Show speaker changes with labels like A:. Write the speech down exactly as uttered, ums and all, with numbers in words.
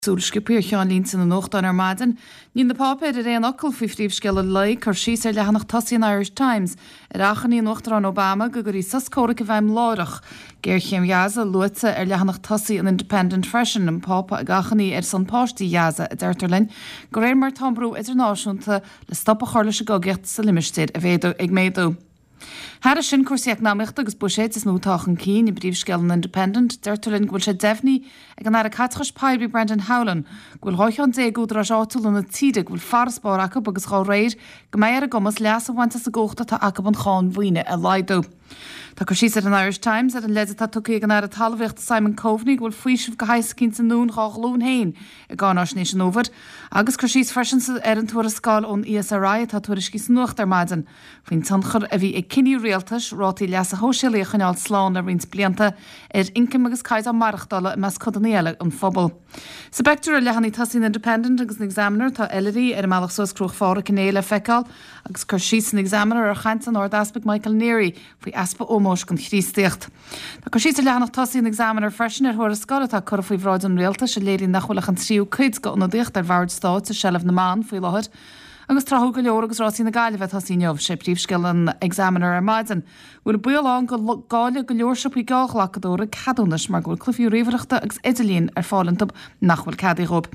A: Súil sciobtha ar cheannlínte na nuachtán ar maidin, níl na páipéir ar aon fhocal faoi phríomhscéal an lae, cur síos ar leathanach tosaigh an Irish Times ar achainí an Uachtaráin Obama go gcuirfí sos comhraic i bhfeidhm láithreach. Géarchéim Ghaza luaite ar leathanach tosaigh an Independent freisin, an Pápa ag achainí ar son páistí Ghaza, a deirtear linn, de réir mar atá an brú idirnáisiúnta le stop a chur leis an gcogaíocht sa limistéar ag méadú. Thairis sin cúrsaí eacnamaíochta agus buiséid is mó atá chun cinn i bpríomhscéal an Independent, deirtear linn go bhfuil sé deimhnithe ag an Aire Caiteachais Poiblí Brendan Howlin go bhfuil dhá cheann déag údaráis áitiúla na tíre go bhfuil farasbarr acu agus dá réir go mbeidh ar a gcumas leas a bhaint as an gcumhacht atá acu an cháin mhaoine a laghdú. Tá cur síos ar an Irish Times ar an leid atá tugtha ag an Aire Talmhaíochta Simon Coveney go bhfuil faoiseamh de shaghas eicínt i ndán dhá ghlúin féin i gcáináisnéis an fhómhair, agus cur síos freisin ar an tuarascáil ón ESRI atá tuairiscithe sa nuacht ar maidin faoin tionchar a bhí ag cinní rialtais rátaí leasa shóisialaigh a choinneáil slán le roinnt blianta ar ioncam agus caighdeán maireachtála i measc codanna eile an phobail. Sa bpictiúr ar leathanaigh tosaigh an Independent agus an Examiner tá Oilithrigh ar a mbealach suas Cruach Phádraig inné le feiceáil agus cur síos san Examiner ar chaint an Ardeaspaig Michael Neary faoi easpa ómóis don Chríostaíocht. Tá cur síos ar leathanach tosaigh an Examiner freisin ar thuarascáil atá curtha faoi bhráid an rialtais a léiríonn nach bhfuil ach an tríú cuid d'ionadaíocht ar bhoird stáit i seilbh na mban faoi láthair. Agus tráthúil go leor agus rásaí na Gaillimhe ag tosaí inniu, sé príomhscéal an Examiner ar maidin. Bhfuil baol ann go gcaillfidh go leor siopaí geallghlacadóra ceadúnais mar go bhfuil cluichí ríomhaireachta agus idirlín ar fáil iontu nach bhfuil ceadaithe dóibh.